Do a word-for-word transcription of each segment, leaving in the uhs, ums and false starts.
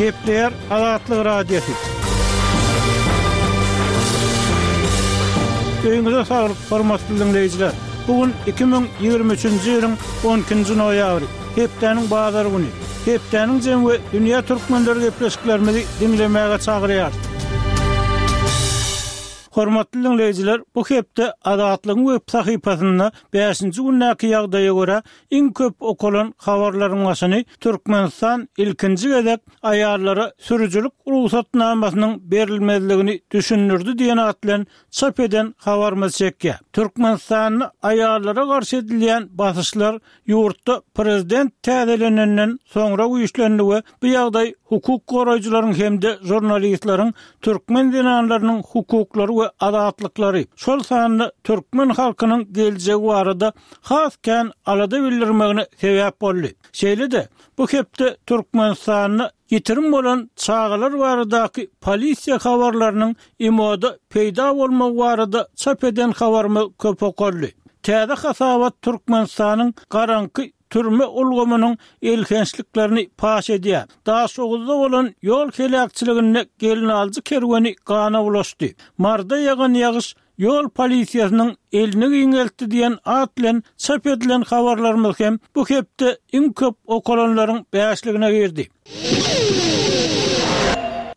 Gepleýär Azatlyk Radiosy. Öýüňize saglyk, hormatly diňleýjiler! Bu gün iki müň ýigrimi üçünji ýylyň on ikinji noýabry, hepdäniň bazar güni. Hepdäniň jemi we dünýä türkmenleri gepleşiklerimizi diňlemäge çagyrýarys. Hormatly diňleýjiler, bu hepde Azatlygyň web sahypasynda bäşinji gündäki ýagdaýa görä iň köp okalan habarlaryň başyny Türkmenistan ilkinji gezek aýallara sürüjilik rugsatnamasynyň berilmezligini düşündirdi diýen at bilen çap eden habarymyz çekýär. Türkmenistanda aýallara garşy edilýän basyşlar ýurtda prezident täzelenenden soňra güýçlendi we bu ýagdaý hukuk goraýjylaryň hem-de žurnalistleriň türkmen zenanlarynyň hukuklary we azatlyklary, şol sanda türkmen halkynyň geljegi barada has kän alada bildirmegine sebäp boldy. Şeýle-de, bu hepde Türkmenistanda ýitirim bolan çagalar baradaky polisiýa habarlarynyň imoda peýda bolmagy barada çap eden habarymyz köp okaldy. Täze hasabat Türkmenistanyň garaňky türme ulgamynyň elhençliklerini paş edýär. Daşoguzda bolan ýol heläkçiliginde gelinaljy kerweni gana bulaşdy. Marda ýagan ýagyş ýol polisiýasynyň elini giňeltdi diýen at bilen çap edilen habarlarymyz hem bu hepde iň köp okalanlaryň bäşligine girdi.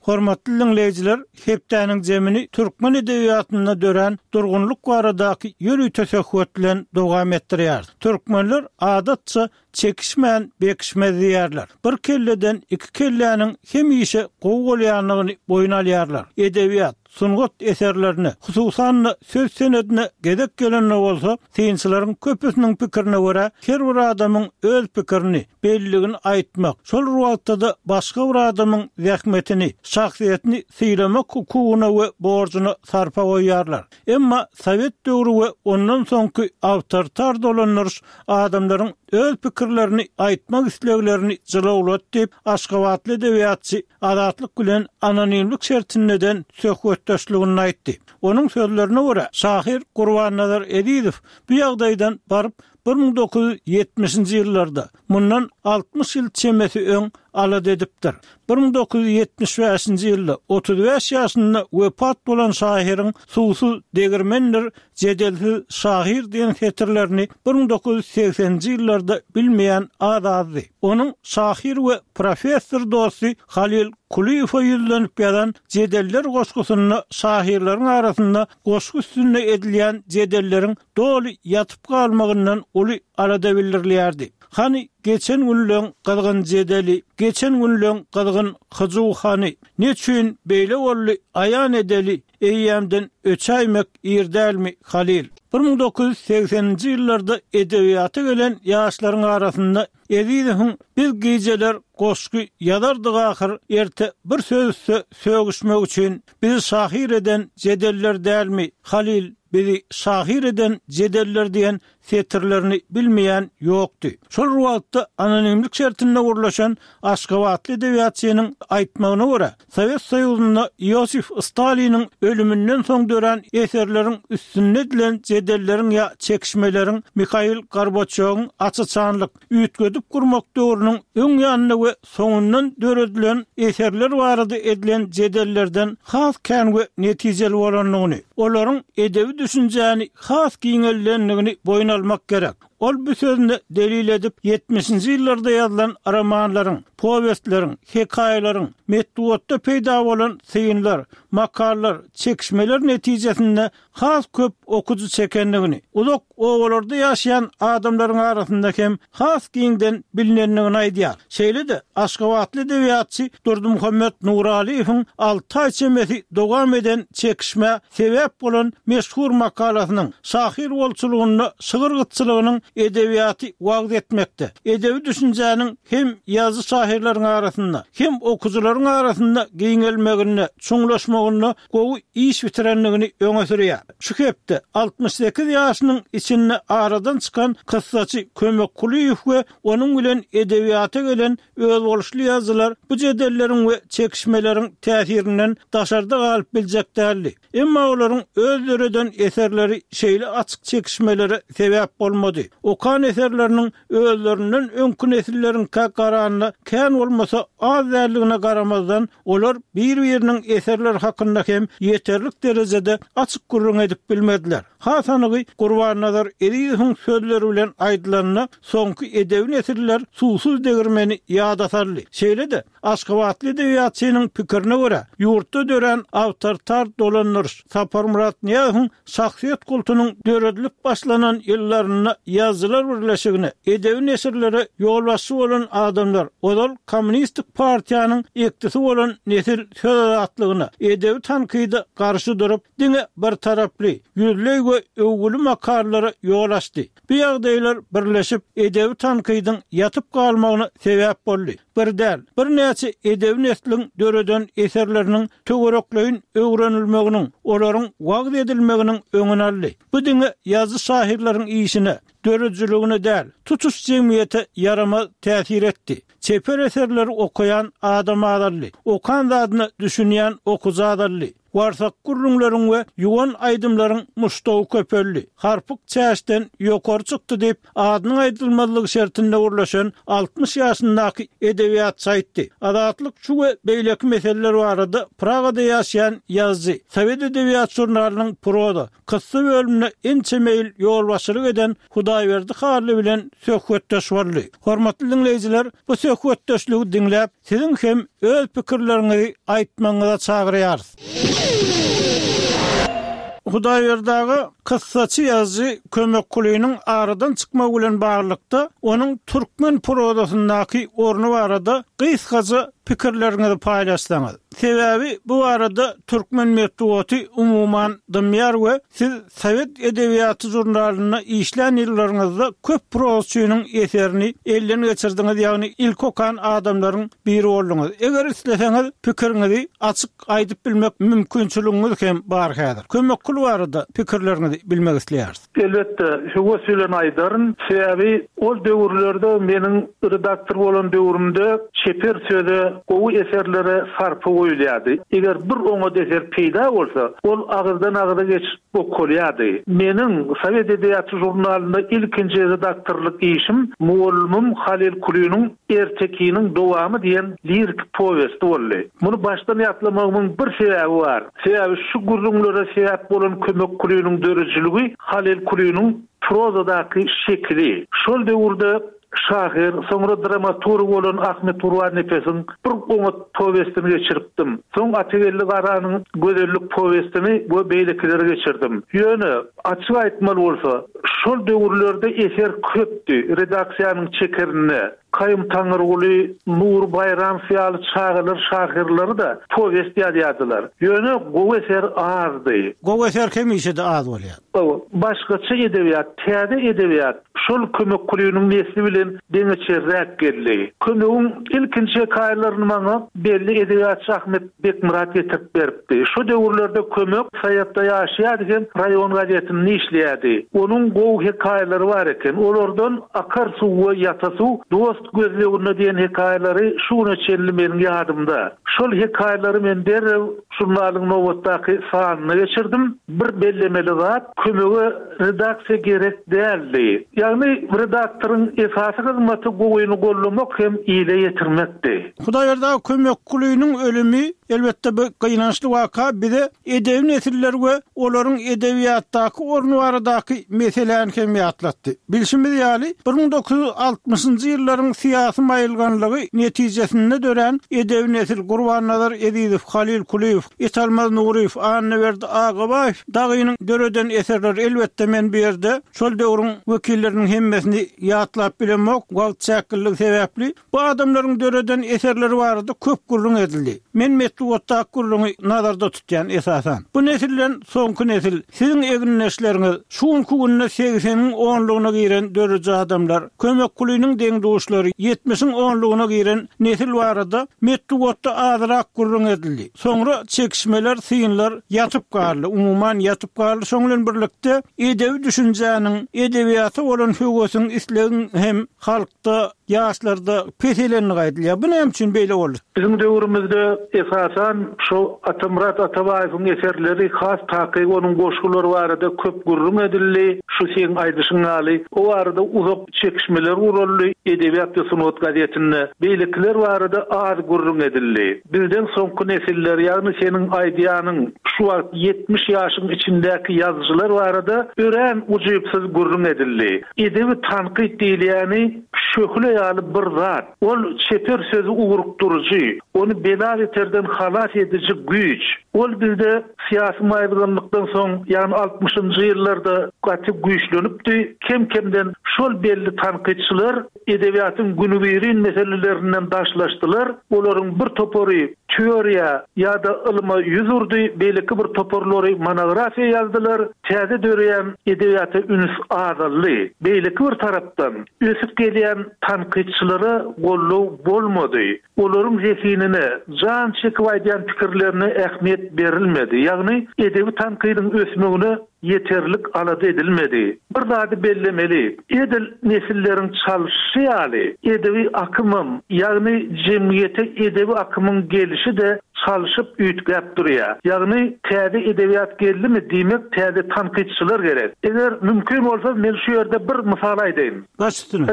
Hormatly diňleýjiler, hepdäniň jemini türkmen edebiýatynda dörän durgunlyk baradaky ýörite söhbet bilen dowam etdirýär. Türkmenler adatça çekişmän bekişmez diýerler. Bir kelleden iki kelläniň hemişe gowy bolýandygyny boýun alýarlar. Edebiýat, sungat eserlerine, hususan-da söz senedine gezek gelende bolsa, synçylaryň köpüsiniň pikirine görä, her bir adamyň öz pikirini, belligini aýtmak, şol bir wagtda-da başga bir adamyň zähmetini, şahsyýetini sylamak hukugyna we borjuna sarpa goýýarlar. Emma Sowet döwri we ondan soňky awtoritar dolandyryş adamlaryň öz pikirlerini aýtmak isleglerini jylawlat diýip, Aşgabatly edebiýatçy Azatlyk bilen anonimlik şertinde eden söhbetdeşliginde aýtdy. Onuň sözlerine görä, şahyr Gurbannazar Ezizow bu ýagdaýdan baryp bir müň dokuz ýüz ýetmişinji ýyllarda, mundan altmyş ýyl çemesi öň alada edipdir. Bir müň dokuz ýüz ýetmiş bäşinji ýylda otuz bäş ýaşynda wepat bolan şahyryň Suwsuz degirmendir, jedelsiz şahyr diýen setirlerini bir müň dokuz ýüz segseninji ýyllarda bilmeýän az-azdy. Onuň şahyr we professor dosty Halil Kulyýewe ýüzlenip ýazan Jedeller goşgusynda şahyrlaryň arasynda goşgy üstünde edilýän jedelleriň doly ýatyp galmagyndan uly alada bildirilýärdi. Hany geçen günleň gyzgyn jedeli, geçen günleň gyzgyn hyjuw hany, neçün beýle boldy aýan edeli, eýýämden öçäýmek ir dälmi, Halil? Bir müň dokuz ýüz segseninji ýyllarda edebiýata gelen ýaşlaryň arasynda Ezizowyň biz gijeler goşgy ýazardyk ahyr, erte bir söz üste sögüşmek üçin bizi şahyr eden jedeller dälmi, Halil, bizi şahyr eden jedeller diýen setirlerini bilmeýän ýokdy. Şol bir wagtda anonimlik şertinde gurlaşan Aşgabatly edebiýatçynyň aýtmagyna görä, Sowet Soýuzynda Iosif Staliniň ölüminden soň dörän eserleriň üstünde edilen jedelleriň ýa çekişmeleriň Mihail Gorbaçýowyň aç-açanlyk, üýtgedip gurmak döwrüniň öň ýanynda we soňundan döredilen eserler barada edilen jedellerden has kän we netijeli bolandygyny, olaryň edebi düşünjäni has giňeldendigini boýun almak gerek. Ol bu sözüni delil edip, ýetmişinji ýyllarda ýazylan romanlaryň, powestleriň, hekaýalaryň, metbugatda peýda bolan synlar, makallar, çekişmeler netijesinde has köp okyjy çekendigini, uzak obalarda ýaşaýan adamlaryň arasynda hem has giňden bilinendigini aýdýar. Şeýle-de, aşgabatly edebiýatçy Durdymuhammet Nuralyýewiň alty aý çemesi dowam eden çekişmä sebäp bolan meşhur makalasynyň şahyr bolçulygynda şygyr gytçylygynyň edebiýaty wagyz etmekde, edebi düşünjäniň hem ýazyjy-şahyrlaryň arasynda, hem okyjylaryň arasynda giňelmeginde, çuňlaşmagynda gowy iş bitirendigini öňe sürýär. Şu hepde altmyş sekiz ýaşynyň içinde aradan çykan kyssaçy Kömek Kulyýew we onuň bilen edebiýata gelen özboluşly ýazyjylar bu jedelleriň we çekişmeleriň täsirinden daşarda galyp biljek däldi. Emma olaryň öz döreden eserleri şeýle açyk çekişmelere sebäp bolmady. Okan eserleriniň özlerinden öňki nesilleriňkä garanda kän bolmasa az däldigine garamazdan, olar bir-biriniň eserleri hakynda hem ýeterlik derejede açyk gürrüň edip bilmediler. Has anygy Gurbannazar Ezizowyň sözleri bilen aýdylanda, soňky edebi nesiller suwsuz degirmeni ýada saldy. Şeýle-de, aşgabatly edebiýatçynyň pikirine görä, ýurtda dörän awtoritar dolandyryş Saparmyrat Nyýazowyň şahsyýet kultunyň döredilip başlanan ýyllarynda Ýazyjylar birleşigine, edebi neşirlere ýolbaşçy bolan adamlar, ozal Kommunistik partiýanyň ekdisi bolan nesil söz azatlygyna, edebi tankyda garşy durup, diňe birtaraply, ýüzleý we öwgüli makalalara ýol açdy. Bu ýagdaýlar birleşip, edebi tankydyň ýatyp galmagyna sebäp boldy. Bir däl, birnäçe edebi nesliň döreden eserleriniň töwerekleýin öwrenilmeginiň, olaryň wagyz edilmeginiň öňüni aldy. Bu diňe ýazyjy-şahyrlaryň işine, döredijiligine däl, tutuş jemgyýete ýaramaz täsir etdi. Çeper eserleri okaýan adam azaldy. Okan zadyna düşünýän okyjy azaldy. Warsak gürrüňleriň we ýuwan aýdymlaryň muşdagy köpeldi. Harpyk çäşden ýokary çykdy diýip, adynyň aýdylmazlygy şertinde gürleşen altmyş ýaşyndaky edebiýatçy aýtdy. Azatlyk şu we beýleki meseleler barada Pragada ýaşaýan ýazyjy, Sowet edebiýat žurnalynyň proza, kyssa bölümine ençeme ýyl ýolbaşçylyk eden Hudaýberdi Hally bilen söhbetdeş boldy. Hormatly diňleýjiler, bu söhbetdeşligi diňläp, siziň hem öz pikirleriňizi aýtmagyňyza çagyrýarys. Hudaýberdi aga, kyssaçy ýazyjy Kömek Kulynyň aradan çykmagy bilen baglylykda, onuň türkmen prozasyndaky orny barada gysgaça pikirleriňizi paýlaşsaňyz. Sebäbi bu barada türkmen metbugaty umuman dymýar we siz Sowet edebiýaty žurnalynda işlän ýyllaryňyzda köp prozaçynyň eserini elden geçirdiňiz, ýagny ilki okan adamlaryň biri bolduňyz. Eger isleseňiz, pikiriňizi açyk aýdyp bilmek mümkinçiligiňiz hem bar häzir. Kömek Kuly barada pikirleriňizi bilmek isleýäris. Elbetde, höwes bilen aýdaryn. Sebäbi ol döwürlerde meniň redaktor bolan döwrümde çeper söze, gowy eserlere sarpa goýulýardy. Eger bir oňat eser peýda bolsa, ol agyzdan-agyza geçip okalýardy. Meniň Sowet edebiýaty žurnalynda ilkinji redaktorlyk işim mugallymym Halyl Kulynyň Ertekiniň dowamy diýen liriki powesti boldy. Muny başdan ýatlamagymyň bir sebäbi bar. Sebäbi şu gürrüňlere sebäp bolan Kömek Kulynyň döredijiligi Halyl Kulynyň prozadaky şekili. Şol döwürde şahyr, soňra dramaturg bolan Ahmet Gurbannepesiň bir oňat powestini geçiripdim. Soň Atageldi Garanyň Gözellik powestini we beýlekileri geçirdim. Ýöne, açyk aýtmaly bolsa, şol döwürlerde eser köpdi, redaksiýanyň çekerinde Kaýum Taňyrguly, Nury Baýramow ýaly çagalar şahyrlary-da powest ýazýardylar. Ýöne gowy eser azdy. Gowy eser hemişe-de az bolýar. Hawa, başgaça edebiýat, täze edebiýat şol Kömek Kulynyň nesli bilen deňeçerräk geldi. Kömegiň ilkinji hekaýalaryny maňa belli edebiýatçy Ahmet Bekmyrat getirip beripdi. Şo döwürlerde Kömek Saýatda ýaşaýardy hem raýon gazetinde işleýärdi. Onuň gowy hekaýalary bar eken. Olardan Akar suw we ýata suw, Dost gözleginde diýen hekaýalary şu güne çenli meniň ýadymda. Şol hekaýalary men derrew žurnalyň nobatdaky sanyna geçirdim. Bir bellemeli zat, Kömege redaksiýa gerek däldi. Ýagny redaktoryň esasy hyzmaty gowyny gollamak hem ile ýetirmekdi. Hudaýberdi aga Kömek Kulynyň ölümi, elbetde bu gynançly waka bize edebi nesiller we olaryň edebiýatdaky orny baradaky meseläni hem ýatlatdy. Bilşimiz ýaly, bir müň dokuz ýüz altmyşynjy ýyllaryň syýasy maýylganlygy netijesinde dörän edebi nesil Gurbannazar Ezizow, Halyl Kulyýew, Italmaz Nuryýew, Annaberdi Agabaýew dagynyň döreden eserleri, elbetde men bu ýerde şol döwrüň wekilleriniň hemmesini ýatlap bilemok, wagt çäkliligi sebäpli, bu adamlaryň döreden eserleri barada köp gürrüň edildi. Men metbugatdaky gürrüňi nazarda tutýan esasan. Bu nesilden soňky nesil, siziň egindeşleriňiz, şu günki günde segseniň onlugyna giren dörüji adamlar, Kömek Kulynyň deň-duşlary, ýetmişiň onlugyna giren nesil barada metbugatda azrak gürrüň edildi. Soňra çekişmeler, synlar ýatyp galdy, umuman ýatyp galdy, şoň bilen birlikde edebi düşünjäniň, edebiýata bolan höwesiň, islegiň hem halkda, ýaşlarda peselendigi aýdylýar. Bu näme üçin beýle boldy? Biziň döwrümizde esasan şo Atamyrat Atabaýewiň eserleri, has takygy onuň goşgulary barada köp gürrüň edildi. Şu seň aýdyşyň ýaly o barada uzak çekişmeler guraldy Edebiýat we sungat gazetinde. Beýlekiler barada az gürrüň edildi. Bizden soňky nesiller, ýagny seniň aýdýanyň şu wagt ýetmiş ýaşyň içindäki ýazyjylar barada örän ujypsyz gürrüň edildi. Edebi tankyt diýilýäni şöhle ýaly bir zat. Ol çeper sözü ugrukdyryjy, ony bela beterden halas ediji güýç. Ol bizde syýasy maýylganlykdan soň, ýagny altmyşynjy ýyllarda gaty güýçlenipdi. Kem-kemden şol belli tankytçylar edebiýatyň günübirin meselelerinden daşlaşdylar. Olaryň bir topary teoriýa ýa-da ylma ýüz urdy, beýleki bir toparlary monografiýa ýazdylar. Täze döreýän edebiýata üns azaldy. Beýleki bir tarapdan ösüp gelýän tankytçylara goldaw bolmady. Olaryň zehinine, jan çekip aýdýan pikirlerine ähmiýet berilmedi. Ýagny edebi tankydyň ösmegine ýeterlik alada edilmedi. Bir zady bellemeli. Edil nesilleriň çalşy ýaly edebi akymym, ýagny jemgyýete edebi akymyň gelişi de çalşyp üýtgäp durýar. Ýagny täze edebiýat geldimi diýmek täze tankytçylar gerek. Eger mümkin bolsa men şu ýerde bir mysal aýdaýyn. Baş üstüne.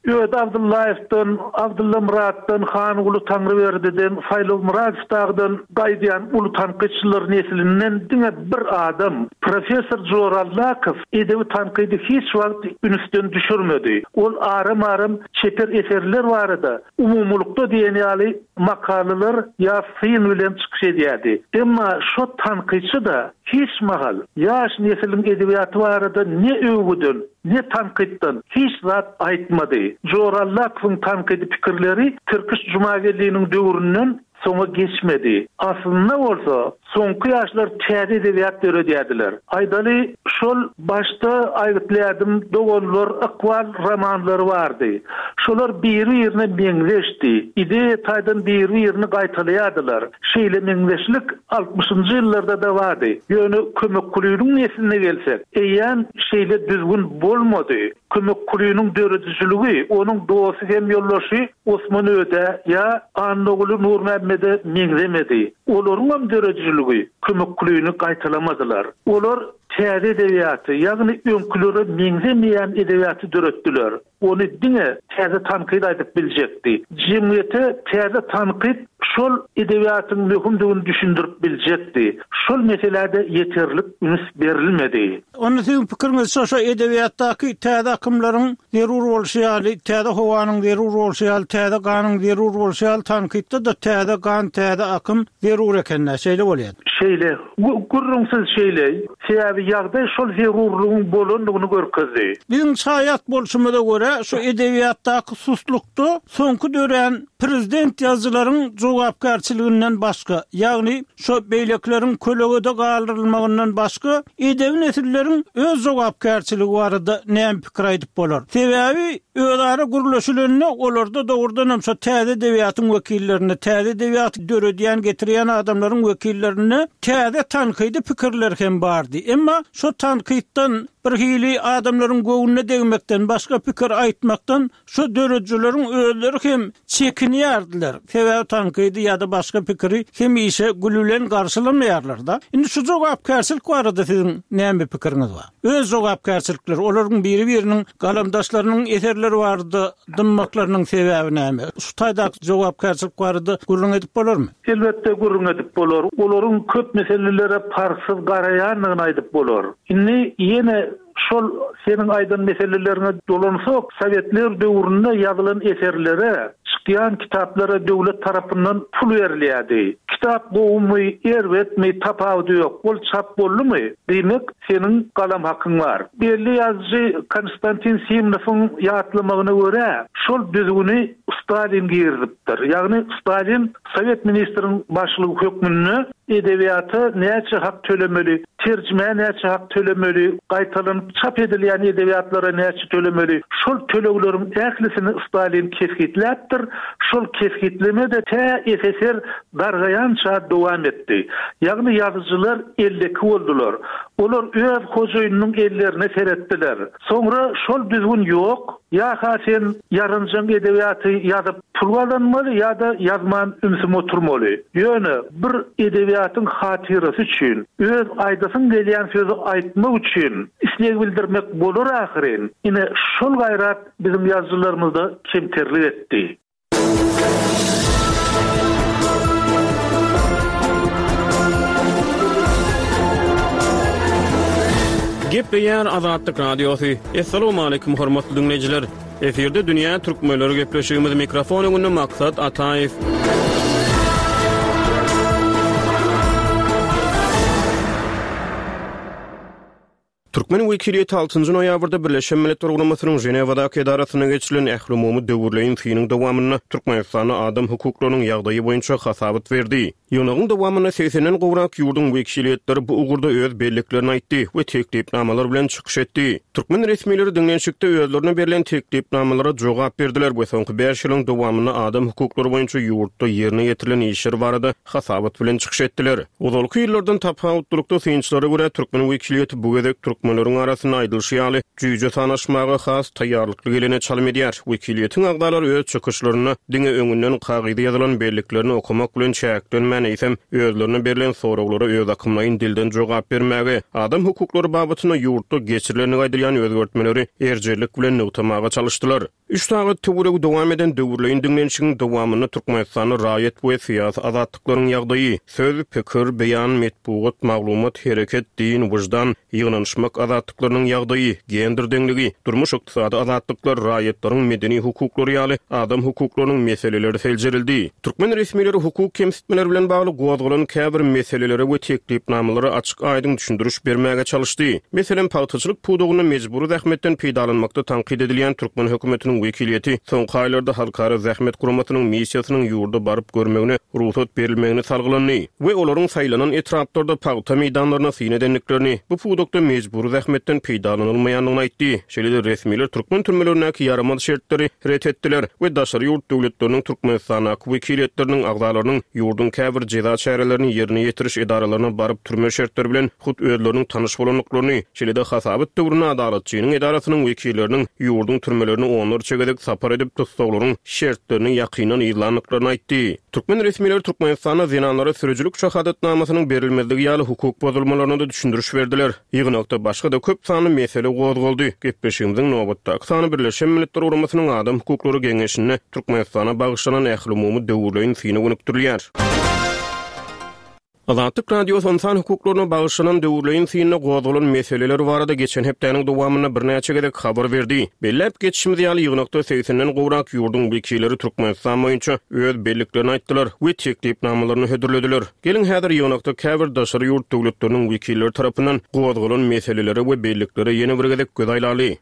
Öde Abdullaýewden, Abdulla Muratdan, Hanguly Taňryberdi'den, Saýlaw Muradowdan gaýdýan uly tankytçylar neslinden diňe bir adam, Professor Jorallakow edebi tankydy hiç wagt ünsden düşürmedi. Ol aram-aram çeper eserler barada umumulykda diýen ýaly makalalar ýa syn bilen çykyş edýärdi. Emma şo tankytçy da hiç mahal ýaş nesliň edebiýaty barada ne öwgüden, ne tankytdan hiç zat aýtmady. Jorallakowyň tankydy pikirleri Tirkiş Jumagelliniň döwründen soňa geçmedi. Aslynda bolsa soňky ýaşlar täze edebiýat döredýärdiler. Aýdaly şol başda aýgytlaýardym doganlar ykbal romanlary bardy. Şolar biri-birine meňzeşdi. Ideýa taýdan biri-birini gaýtalaýardylar. Şeýle meňzeşlik altmyşynjy ýyllarda da bardy. Ýöne Kömek Kulynyň nesline gelsek, eýýäm şeýle düzgün bolmady. Kömek Kulynyň döredijiligi, onuň dosty hem ýoldaşy Osman Öde ýa Annaguly Nurmämmede meňzemedi. Olaryň hem döredijiligi Kömek Kulyny gaýtalamadylar. Olar täze edebiýaty, ýagny öňkülere meňzemeýän edebiýaty döretdiler. Ony diňe täze tankyt aýdyp biljekdi. Jemgyýete täze tankyt şol edebiýatyň möhümdigini düşündirip biljekdi. Şol meselede ýeterlik üns berilmedi. Onu siziň pikiriňiz şo şo edebiýatdaky täze akymlaryň zerur bolşy ýaly, täze howanyň zerur bolşy ýaly, täze ganyň zerur bolşy ýaly tankytda da täze gan, täze akym zerur ekenler, şeýle bolýar. Şeýle, gürrüňsiz şeýle. Sebäbi ýagdaý şol zerurlygyň bolandygyny görkezdi. Biziň şaýat bolşumyza görä şu edebiýatdaky suslukda soňky dörän prezident ýazyjylaryň jogapkärçiliginden başga, ýagny şo beýlekleriň kölegede galdyrylmagyndan başga edebi nesilleriň öz jogapkärçiligi barada näme pikir aýdyp bolar? Sebäbi özara gürleşilende olarda dogrudan hem şo täze edebiýatyň wekillerine, täze edebiýaty döredýän, getirýän adamlaryň wekillerine täze tankydy pikirler hem bardy. Emma şo tankytdan bir hili adamlaryň göwnüne degmekden başga pikir aýtmakdan şo döredijileriň özleri hem çekinýärdiler. Sebäbi tankydy ýa-da başga pikiri hemişe gülülen garşylamaýarlar da. Indi şu jogapkärçilik barada siziň näme pikiriňiz bar? Öz jogapkärçilikleri, olaryň biri-biriniň galamdaşlarynyň eserleri barada dymmaklarynyň sebäbi näme? Şu taýdaky jogapkärçilik barada gürrüň edip bolarmy? Elbetde gürrüň edip bolar. Olaryň köp meselelere parhsyz garaýandygyny aýdyp bolar. Indi ýene şol seniň aýdan meselelerine dolansak, Sowetler döwründe ýazylan eserlere, çykýan kitaplara döwlet tarapyndan pul berilýärdi. Kitap gowumy, erbetmi, tapawudy ýok. Ol çap boldumy? Diýmek, seniň galam hakyň bar. Belli ýazyjy Konstantin Simnowyň ýatlamagyna görä, şol düzgüni Stalin girizipdir. Ýagny Stalin Sowet ministriň başlygy hökmünde edebiýata näçe hak tölemeli, terjimä näçe hak tölemeli, gaýtalanyp çap edilýän edebiýatlara näçe tölemeli, şol tölegleriň ählisini Stalin kesgitläpdir. Şol kesgitleme de tä S S R dargaýança dowam etdi. Ýagny ýazyjylar elleki boldular. Olar öz hojaýynynyň ellerine seretdiler. Soňra şol düzgün ýok. Ýa-ha sen ýarynjaň edebiýaty ýazyp pul gazanmaly ýa-da ýazman ümsüm oturmaly. Ýöne bir edebiýatyň hatyrasy üçin, öz aýdasyň gelýän sözi aýtmak üçin isleg bildirmek bolar ahyryn. Ine şol gaýrat biziň ýazyjylarymyzda kemterlik etdi. Gepleýär Azatlyk Radiosy. Assalamualaikum hormatly dinleýjiler. Efirde Dünýä Türkmenleri gepleşigimiz mikrofon öňünde Maksat Ataýew. Türkmen wekiliýeti altynjy noýabrda Birleşen Milletler Guramasynyň Ženewadaky edarasynda geçirilen ählumumy döwürleýin synyň dowamynda Türkmenistanda adam hukuklarynyň ýagdaýy boýunça hasabat berdi. Ýygnagyň dowamynda segsenden gowrak ýurduň wekiliýetleri bu ugurda öz belliklerini aýtdy we teklipnamalar bilen çykyş etdi. Türkmen resmileri diňlenişikde özlerine berlen teklipnamalara jogap berdiler we soňky bäş ýylyň dowamynda adam hukuklary boýunça ýurtda ýerine ýetirilen işler barada hasabat bilen çykyş etdiler. Ozalky ýyllardan tapawutlylykda synçylara görä türkmen wekiliýeti bu gezek türkmenleriň arasynda aýdylyşy ýaly jüýje sanaşmaga has taýýarlykly gelene çalym edýär. Wekiliýetiň agzalary öz çykyşlarynda diňe öňünden kagyza ýazylan belliklerini okamak bilen çäklenmän eýsem özlerine berlen soraglara öz akymlaýyn dilden jogap bermäge, adam hukuklary babatynda ýurtda geçirilenligi aýdylýan özgertmeleri erjellik bilen nygtamaga çalyşdylar. Üç sagat töweregi dowam eden döwürleýin diňlenişigiň dowamynda Türkmenistanda raýat we syýasy azatlyklaryň ýagdaýy, söz, pikir, beýan, metbugat, maglumat, hereket, din, wyždan, ýygnanyşmak azatlyklarynyň ýagdaýy, gender deňligi, durmuş ykdysady azatlyklar, raýatlaryň medeni hukuklary ýaly adam hukuklarynyň meseleleri seljerildi. Türkmen resmileri hukuk kemsitmeleri bilen bagly gozgalan käbir meselelere we teklipnamalara açyk aýdyň düşündiriş bermäge çalyşdy. Meselem, pagtaçylyk pudagynda mejbury zähmetden peýdalanmakda tankyt edilýän türkmen hökümetiniň wekiliýeti soňky aýlarda Halkara Zähmet Guramasynyň missiýasynyň ýurda baryp görmegine rugsat berilmegini salgylandy we olaryň saýlanan etraplarda pagta meýdanlaryna syn edendiklerini, bu pudakda mejbury zähmetden peýdalanylmaýandygyny aýtdy. Şeýle-de resmiler türkmen türmelerindäki ýaramaz şertleri ret etdiler we daşary ýurt döwletleriniň Türkmenistandaky wekiliýetleriniň agzalarynyň ýurduň käbir jeza çärelerini ýerine ýetiriş edaralaryna baryp türme şertleri bilen hut özleriniň tanyş bolandyklaryny, şeýle-de hasabat döwründe adalatçynyň edarasynyň wekilleriniň ýurduň türmelerini onlarça gezek sapar edip tussaglaryň şertlerini ýakyndan yzlandyklaryny aýtdy. Türkmen resmileri Türkmenistanda zenanlara sürüjilik şahadatnamasynyň berilmezligi ýaly hukuk bozulmalaryna da düşündiriş berdiler. Ýygnakda başga da köp sanly mesele gozgaldy. Gepleşigimiziň nobatdaky sany Birleşen Milletler Guramasynyň Adam Hukuklary Geňeşinde Türkmenistana bagyşlanan ählumumy döwürleýin syny gönükdirilýär. Azatlyk Radiosy ynsan hukuklaryna bagyşlanan döwürleýin synda gozgalan meseleler barada geçen hepdäniň dowamynda birnäçe gezek habar berdi. Belläp geçişimiz ýaly ýygnakda segsenden gowrak ýurduň wekilleri Türkmenistan boýunça öz belliklerini aýtdylar we teklipnamalaryny hödürlediler. Geliň häzir ýygnakda käbir daşary ýurt döwletleriniň wekilleri tarapyndan gozgalan meselelere we belliklere ýene bir gezek göz aýlaly.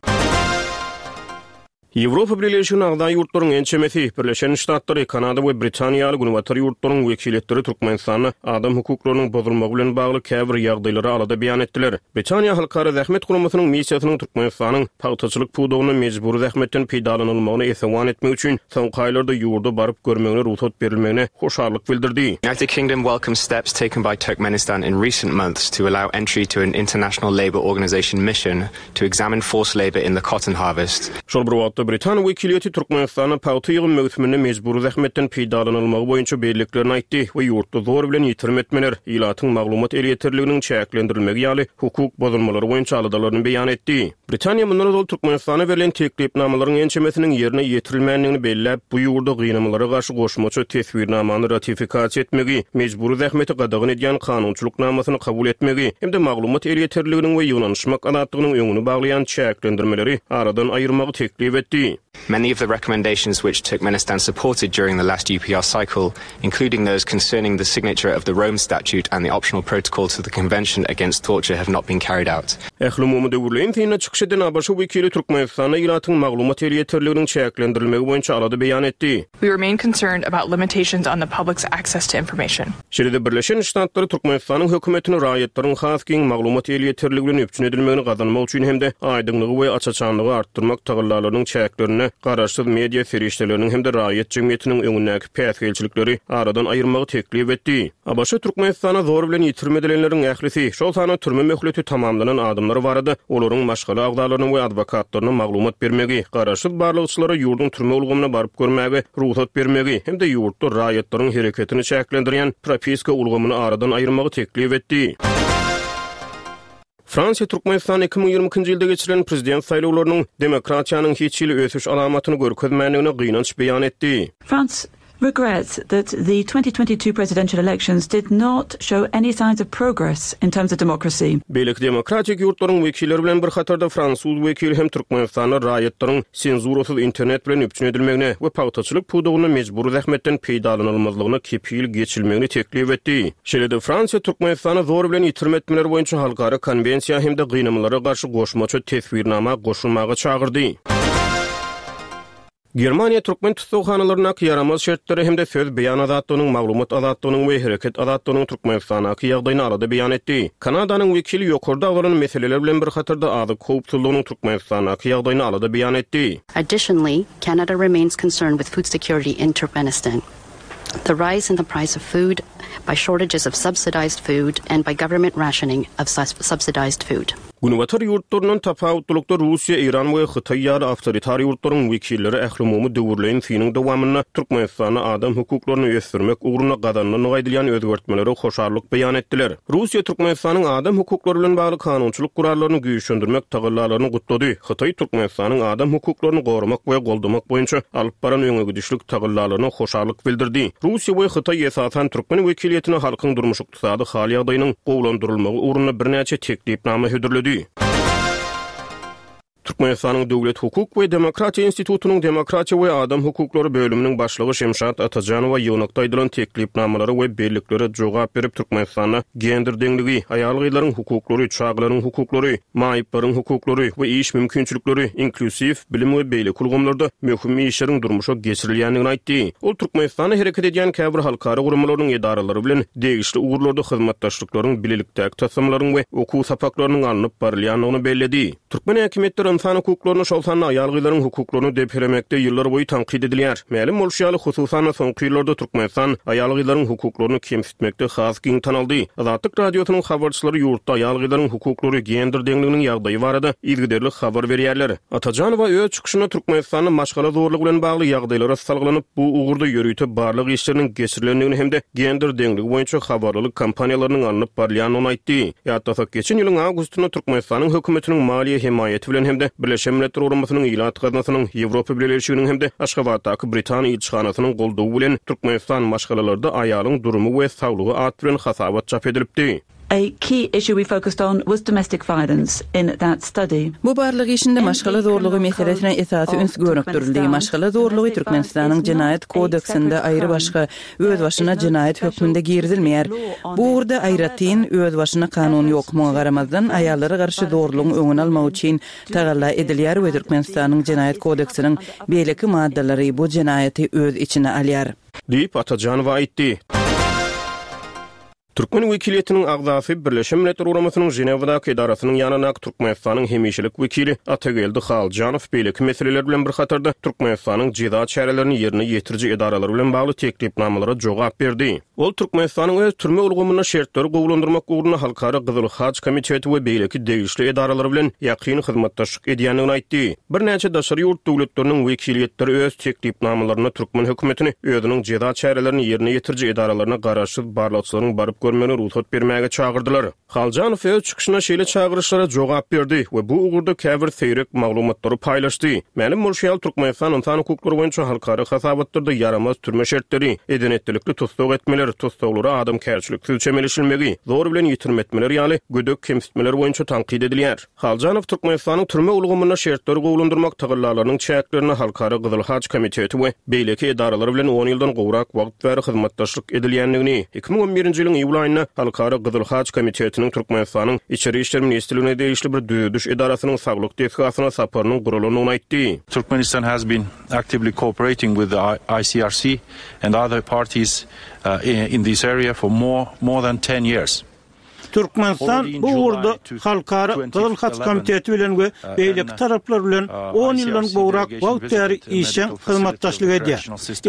Ýewropa Birleşiginiň agza ýurtlaryň ençemesi, Birleşen Ştatlary, Kanada we Britaniýa ýaly günbatar ýurtlaryň wekilleri Türkmenistanda adam hukuklarynyň bozulmagy bilen bagly käbir ýagdaýlara alada beýan etdiler. Britaniýa Halkara Zähmet Guramasynyň missiýasynyň Türkmenistanyň pagtaçylyk pudagynda mejbury zähmetden peýdalanylmagyny esewan etmek üçin soňky aýlarda ýurda baryp görmegine rugsat berilmegine hoşallyk bildirdi. United Kingdom welcomes steps taken by Turkmenistan in recent months to allow entry to an International Labour Organization mission to examine forced labor in the cotton harvest. Şol bir wagtda Britan wekiliýeti Türkmenistanda pagta ýygym möwsüminde mejbury zähmetden peýdalanylmagy boýunça belliklerini aýtdy we ýurtda zor bilen ýitirim etmeler, ilatyň maglumat elýeterliginiň çäklendirilmegi ýaly hukuk bozulmalary boýunça aladalaryny beýan etdi. Britaniýa mundan ozal Türkmenistana berlen teklipnamalaryň ençemesiniň ýerine ýetirilmändigini belläp, bu ýurda gynamalara garşy goşmaça teswirnamany ratifikasiýa etmegi, mejbury zähmeti gadagan edýän kanunçylyk namasyny kabul etmegi hem-de maglumat elýeterliginiň we ýygnanyşmak azatlygynyň öňüni baglaýan çäklendirmeleri aradan aýyrmagy teklip etdi. Many of the recommendations which Turkmenistan supported during the last U P R cycle, including those concerning the signature of the Rome Statute and the optional protocol to the Convention Against Torture, have not been carried out. Ählumumy döwürleýin synda çykyş eden A B Ş wekili Türkmenistanda ilatyň maglumat elýeterliginiň çäklendirilmegi boýunça alada beýan etdi. We remain concerned about limitations on the public's access to information. Şeýle-de Birleşen Ştatlary Türkmenistanyň hökümetini raýatlaryň has giň maglumat elýeterligi bilen üpjün edilmegini gazanmak üçin hem-de aýdyňlygy we aç-açanlygy artdyrmak tagallalarynyň çäklerinde çäklerinde garaşsyz media serişdeleriniň hem-de raýat jemgyýetiniň öňündäki päsgelçilikleri aradan aýyrmagy teklip etdi. A B Ş Türkmenistana zor bilen ýitirim edilenleriň ählisi, şol sanda türme möhleti tamamlanan adamlar barada olaryň maşgala agzalaryna we adwokatlaryna maglumat bermegi, garaşsyz barlagçylara ýurduň türme ulgamyna baryp görmäge rugsat bermegi hem-de ýurtda raýatlaryň hereketini çäklendirýän propiska ulgamyny aradan aýyrmagy teklip etdi. Fransiýa Türkmenistan iki müň ýigrimi ikinji ýylda geçirilen prezident saýlawlarynyň demokratiýanyň hiç hili ösüş alamatyny görkezmändigine gynanç beýan etdi. France regrets that the twenty twenty-two presidential elections did not show any signs of progress in terms of democracy. Beýleki demokratik ýurtlaryň wekilleri bilen bir hatarda fransuz wekili hem Türkmenistanda raýatlaryň senzurasyz internet bilen üpjün edilmegine we pagtaçylyk pudagynda mejbury zähmetden peýdalanylmazlygyna kepil geçilmegini teklip etdi. Şeýle-de Fransiýa Türkmenistana zor bilen ýitirim etmeler boýunça halkara konwensiýa hem-de gynamalara garşy goşmaça teswirnama goşulmaga çagyrdy. Germaniýa türkmen tussaghanalaryndaky ýaramaz şertleri hem-de söz beýan azatlygynyň, maglumat azatlygynyň we hereket azatlygynyň Türkmenistandaky ýagdaýyny alada beýan etdi. Kanadanyň wekili ýokarda agzalan meseleler bilen bir hatarda azyk howpsuzlygynyň Türkmenistandaky ýagdaýyny alada beýan etdi. Additionally, Canada remains concerned with food security in Turkmenistan. The rise in the price of food by shortages of subsidized food and by government rationing of sus-, subsidized food. Günbatar ýurtlaryndan tapawutlylykda Russiýa, Eýran we Hytaý ýaly awtoritar ýurtlaryň wekilleri ählumumy döwürleýin synyň dowamynda Türkmenistanda adam hukuklaryny ösdürmek ugrunda gazanylan aýdylýan özgertmelere hoşallyk beýan etdiler. Russiýa Türkmenistanyň adam hukuklary bilen bagly kanunçylyk gurallaryny güýçlendirmek tagallalaryny gutlady. Hytaý Türkmenistanyň adam hukuklaryny goramak we goldamak boýunça alyp baran öňe gidişlik tagallalaryna hoşallyk bildirdi. Russiýa we Hytaý esasan türkmen wekiliýetine halkyň durmuş ykdysady hal ýagdaýynyň gowulandyrylmagy ugrunda birnäçe teklipnama hödürledi. Türkmenistanyň Döwlet Hukuk we Demokratiýa Institutynyň Demokratiýa we Adam Hukuklary bölüminiň başlygy Şemşat Atajanowa ýygnakda aýdylan teklipnamalara we belliklere jogap berip Türkmenistanda gender deňligi, aýal-gyzlaryň hukuklary, çagalaryň hukuklary, maýyplaryň hukuklary we iş mümkinçilikleri, inklýuziw bilim we beýleki ulgamlarda möhüm işleriň durmuşa geçirilýändigini aýtdy. Ol Türkmenistanda hereket edýän käbir halkara guramalarynyň edaralary bilen degişli ugurlarda hyzmatdaşlyklaryň, bilelikdäki taslamalaryň we okuw sapaklarynyň alnyp barylýandygyny belledi. Türkmen häkimiýetleri insan hukuklaryny, şol sanda aýal-gyzlaryň hukuklaryny depelemekde ýyllar boýy tankyt edilýär. Mälim bolşy ýaly, hususan soňky ýyllarda Türkmenistan aýal-gyzlaryň hukuklaryny kemsitmekde has giň tanaldy. Azatlyk Radiosynyň habarçylary ýurtda aýal-gyzlaryň hukuklary, gender deňliginiň ýagdaýy barada yzygiderli habar berýärler. Atajanowa öz çykyşynda Türkmenistanda maşgala zorlugy bilen bagly ýagdaýlara salgylanyp, bu ugurda ýörite barlag işleriniň geçirilendigini hem-de gender deňligi boýunça habarlylyk kampaniýalarynyň alnyp barylýandygyny aýtdy. Ýatlasak, geçen ýylyň awgustynda Türkmenistanyň hökümetiniň maliýe hemaýaty bilen hem-de Birleşen Milletler Guramasynyň Ilat Gaznasynyň, Ýewropa Bileleşiginiň hem-de Aşgabatdaky Britan ilçihanasynyň goldawy bilen Türkmenistan maşgalalarda aýalyň durumy we saglygy at bilen hasabat çap edilipdi. A key issue we focused on was domestic violence in that study. Bu barlag işinde maşgala zorlugy meselesine esasy üns gönükdirildi. Maşgala zorlugy Türkmenistanyň jenaýat kodeksinde aýry başga özbaşyna jenaýat hökmünde girizilmeýär. Bu ugurda aýratyn özbaşyna kanun ýok. Muňa garamazdan aýallara garşy zorlugyň öňüni almak üçin tagalla edilýär we Türkmenistanyň jenaýat kodeksiniň beýleki maddalary bu jenaýaty öz içine alýar. Diýip Atajanowa aýtdy. Türkmen wekiliýetiniň agzasy Birleşen Milletler Guramasynyň Ženewadaky edarasynyň ýanyndaky Türkmenistanyň hemişelik wekili Atageldi Haljanow beýleki meseleler bilen bir hatarda Türkmenistanyň jeza çärelerini ýerine ýetiriji edaralary bilen bagly teklipnamalara jogap berdi. Ol Türkmenistanyň öz türme ulgamynda şertleri gowulandyrmak ugrunda Halkara Gyzyl Haç komiteti we beýleki degişli edaralary bilen ýakyn hyzmatdaşlyk edýändigini aýtdy. Birnäçe daşary ýurt döwletleriniň wekiliýetleri öz teklipnamalarynda türkmen hökümetini özüniň jeza çärelerini ýerine ýetiriji edaralaryna garaşsyz barlagçylaryň baryp görmegine rugsat bermäge çagyrdylar. Haljanow öz çykyşynda şeýle çagyryşlara jogap berdi we bu ugurda käbir seýrek maglumatlary paýlaşdy. Mälim bolşy ýaly, Türkmenistan insan hukuklary boýunça halkara hasabatlarda ýaramaz türme şertleri, edenetlilikli tussag etmeler, tussaglara adamkärçiliksiz çemeleşilmegi, zor bilen ýitirim etmeler ýaly gödek kemsitmeler boýunça tankyt edilýär. Haljanow Türkmenistanyň türme ulgamynda şertleri gowulandyrmak tagallalarynyň çäklerinde Halkara Gyzyl Haç komiteti we beýleki edaralar bilen on ýyldan gowrak wagt bäri hyzmatdaşlyk edilýändigini, iki müň on birinji ýylyň iýul aýynda Halkara Gyzyl Haç komitetiniň Türkmenistanyň Içeri İşler Ministrligine degişli bir düzediş edarasynyň saglyk desgasyna saparynyň guralandygyny aýtdy. Turkmenistan has been actively cooperating with the I C R C and other parties, uh, in this area for more, more than ten years. Türkmenistan bu ugurda Halkara Gyzyl Haç Komiteti bilen we beýleki taraplar bilen on ýyldan gowrak wagt bäri işjeň hyzmatdaşlyk edýär.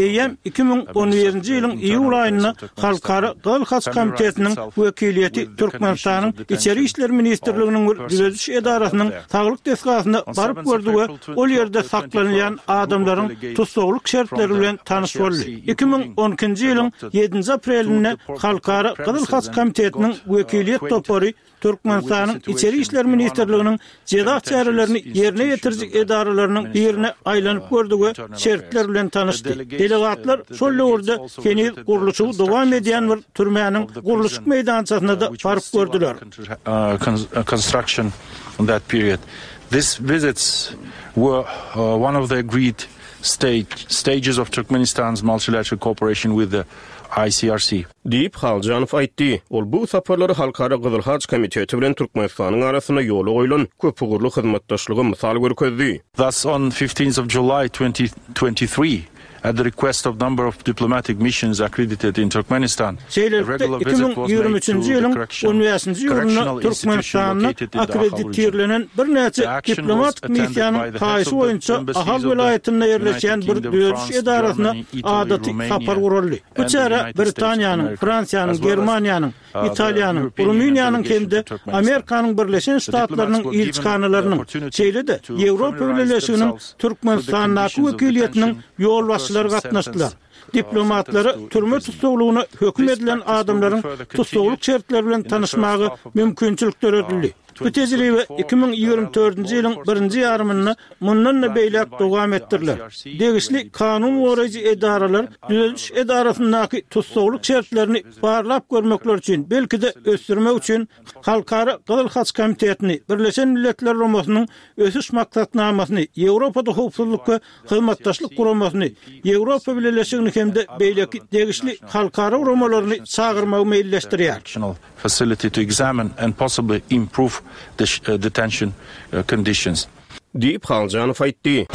Eýýäm iki müň on birinji ýylyň iýul aýynda Halkara Gyzyl Haç Komitetiniň wekiliýeti Türkmenistanyň Içeri işler ministrliginiň bir düzediş edarasynyň saglyk desgasyna baryp gördi we ol ýerde saklanylýan adamlaryň tussaglyk şertleri bilen tanyş boldy. Iki müň on ikinji ýylyň ýedinji aprelinde Halkara Gyzyl Haç Komitetiniň wekiliýet topary Türkmenistanyň Içeri işler ministrliginiň jeza çärelerini ýerine ýetiriji edaralarynyň birine aýlanyp gördi we şertler bilen tanyşdy. Delegatlar şol döwürde heniz gurluşygy dowam edýän bir türmäniň gurluşyk meýdançasyna-da baryp gördüler. Stages of Turkmenistan's multilateral cooperation with the ICRC. Diýip, Haljanow aýtdy. Ol bu saparlary Halkara Gyzyl Haç Komiteti bilen Türkmenistanyň arasynda ýola goýlan köpugurly hyzmatdaşlyga mysal görkezdi. Thus, on fifteenth of July twenty twenty three, at the request of number of diplomatic missions accredited in Turkmenistan, a Şeýlelikde, regular iki visit müň was ýigrimi made üçünji to the ýylyň on correction bäşinji iýulynda correctional institution Türkmenistanda located in the Ahal region. akkreditirlenen birnäçe The action was diplomatik attended missiýanyň by the heads haýyşy of the boýunça Ahal embassies of the welaýatynda United ýerleşýän bir Kingdom, düzediş France, edarasyna Germany, Italy, adaty sapar Romania guraldy. Bu and the çärä United States of Britaniýanyň, America, Fransiýanyň, as well as Germaniýanyň, uh, the Italiýanyň, European Union Rumyniýanyň delegation hem-de to Turkmenistan. Amerikanyň Birleşen The diplomats Ştatlarynyň were given the ilçihanalarynyň, opportunity şeýle-de to Ýewropa familiarize Bileleşiginiň themselves with the Türkmenistandaky conditions of wekiliýetiniň detention of ýolbaşçylary persons gatnaşdylar. sentenced uh, Diplomatlara sentenced to türme imprisonment. tussaglygyna höküm This edilen practice will be adamlaryň further tussaglyk continued şertleri bilen in the first tanyşmaga half of the mümkinçilik uh, döredildi. Bu twenty tejribe twenty-four. iki müň The ýigrimi relevant dördünji law ýylyň enforcement birinji ýarymynda authorities mundan-da plan to beýläk invite dowam the etdiriler. I C R C, Degişli U N D P, kanun goraýjy O S C E, edaralar and other düzediş relevant edarasyndaky tussaglyk şertlerini organizations barlap görmekler üçin, belki-de ösdürmek üçin Halkara Gyzyl Haç Komitetini, Birleşen Milletler Guramasynyň Ösüş Maksatnamasyny, Ýewropada Howpsuzlyk we Hyzmatdaşlyk Guramasyny, Ýewropa Bileleşigini hem-de beýleki degişli halkara guramalaryny çagyrmagy meýilleşdirýär. Correctional facility to examine and possibly improve the sh-, uh, detention, uh, conditions. Diýip, Haljanow aýtdy.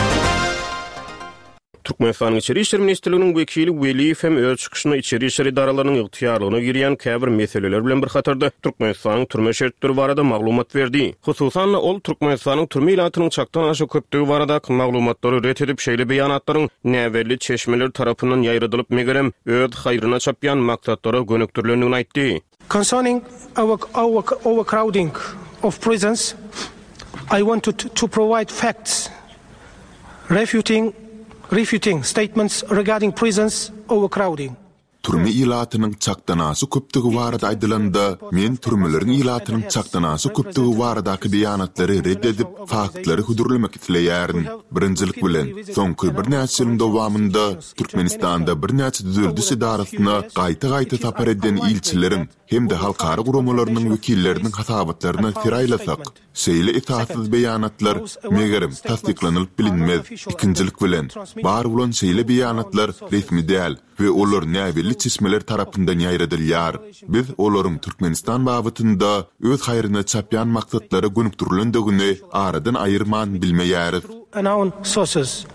Türkmenistanyň Içeri işler ministrliginiň wekili Weliýew hem öz çykyşynda içeri işler edaralarynyň ygtyýarlygyna girýän käbir meseleler bilen bir hatarda Türkmenistanyň türme şertleri barada maglumat berdi. Hususan-da ol Türkmenistanyň türme ilatynyň çakdan aşa köpdügi baradaky maglumatlary ret edip, şeýle beýanatlaryň näbelli çeşmeler tarapyndan ýaýradylyp megerem öz haýryna çapýan maksatlara gönükdirilendigini aýtdy. Concerning our, our overcrowding of prisons, I wanted to provide facts refuting, refuting statements regarding prisons overcrowding. Türme ilatynyň çakdan aşa köpdügi barada aýdylanda, men türmeleriň ilatynyň çakdan aşa köpdügi baradaky beýanatlary red edip, faktlary hödürlemek isleýärin. Birinjilik bilen, soňky birnäçe ýylyň dowamynda Türkmenistanda birnäçe düzediş edarasyna gaýta-gaýta sapar eden ilçileriň hem-de halkara guramalarynyň wekilleriniň hasabatlaryna ser aýlasak, şeýle esassyz beýanatlar megerem tassyklanylyp bilinmez. Ikinjilik bilen, bar bolan şeýle beýanatlar resmi däl we olar näbelli çeşmeler tarapyndan ýaýradylýar. Biz olaryň Türkmenistan babatynda öz haýryna çapýan maksatlara gönükdirilendigini aradan aýyrman bilmeýäris. Unknown sources,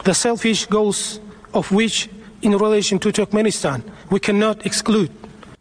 the selfish goals of which in relation to Turkmenistan we cannot exclude.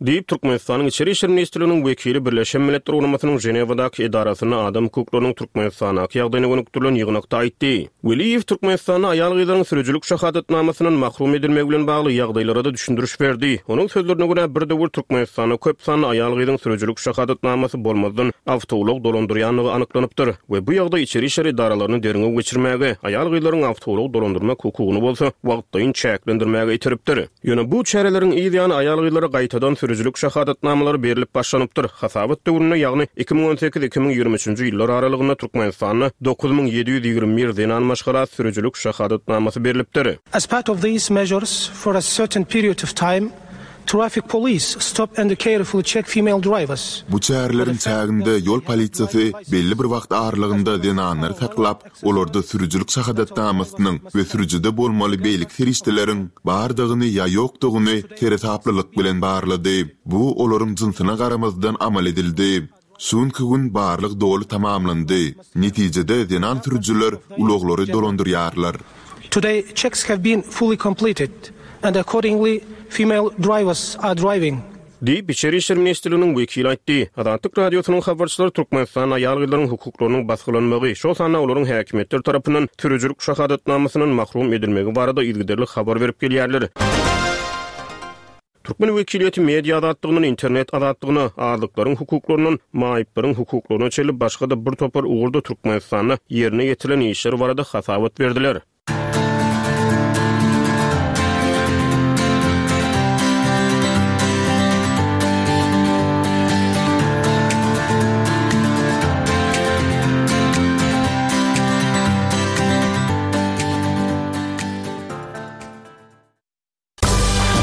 Diýip, Türkmenistanyň Içeri işler ministrliginiň wekili Birleşen Milletler Guramasynyň Ženewadaky edarasynda adam hukuklarynyň Türkmenistandaky ýagdaýyna gönükdirilen ýygnakda aýtdy. Weliýew Türkmenistanda aýal-gyzlaryň sürüjilik şahadatnamasynyň mahrum edilmegi bilen bagly ýagdaýlara da düşündiriş berdi. Onuň sözlerine görä bir döwür Türkmenistanda köp sanly aýal-gyzyň sürüjilik şahadatnamasy bolmazdan awtoulag dolandyrýanlygy anyklanypdyr we bu ýagdaý içeri işler edaralaryny derňew geçirmäge, aýal-gyzlaryň awtoulag dolandyrmak hukugyny bolsa wagtlaýyn çäklendirmäge iteripdir. Ýöne bu çäreleriň yz ýany aýal-gyzlara gaýtadan sürüjilik şahadatnamalary berilip başlanypdyr. Hasabat döwründe, ýagny iki müň on sekiz iki müň ýigrimi üçünji ýyllar aralygynda Türkmenistanda dokuz müň ýedi ýüz ýigrimi bir zenan maşgala sürüjilik şahadatnamasy berilipdir. As part of these measures for a certain period of time, traffic police stop and carefully check female drivers. Bu çäreleriň çäginde ýol polisiýasy belli bir wagt aralygynda zenanlary saklap, olarda sürüjilik şahadatnamasynyň we sürüjide bolmaly beýleki serişdeleriň bardygyny ýa ýokdugyny seresaplylyk bilen barlady. Bu olaryň jynsyna garamazdan amal edildi. Şunki gün barlyk doly tamamlandy. Netijede zenan sürüjiler ulaglary dolandyrýarlar. Today checks have been fully completed and accordingly female drivers are driving. Diýip, Içeri işler ministrliginiň wekili aýtdy. Azatlyk Radiosynyň habarçylary Türkmenistanda aýal-gyzlaryň hukuklarynyň basgylanmagy, şol sanda olaryň häkimiýetler tarapyndan sürüjilik şahadatnamasyndan mahrum edilmegi barada yzygiderli habar berip gelýärler. Türkmen wekiliýeti media azatlygyndan internet azatlygyna, azlyklaryň hukuklaryndan maýyplaryň hukuklaryna çenli başga-da bir topar ugurda Türkmenistanda ýerine ýetirilen işler barada hasabat berdiler.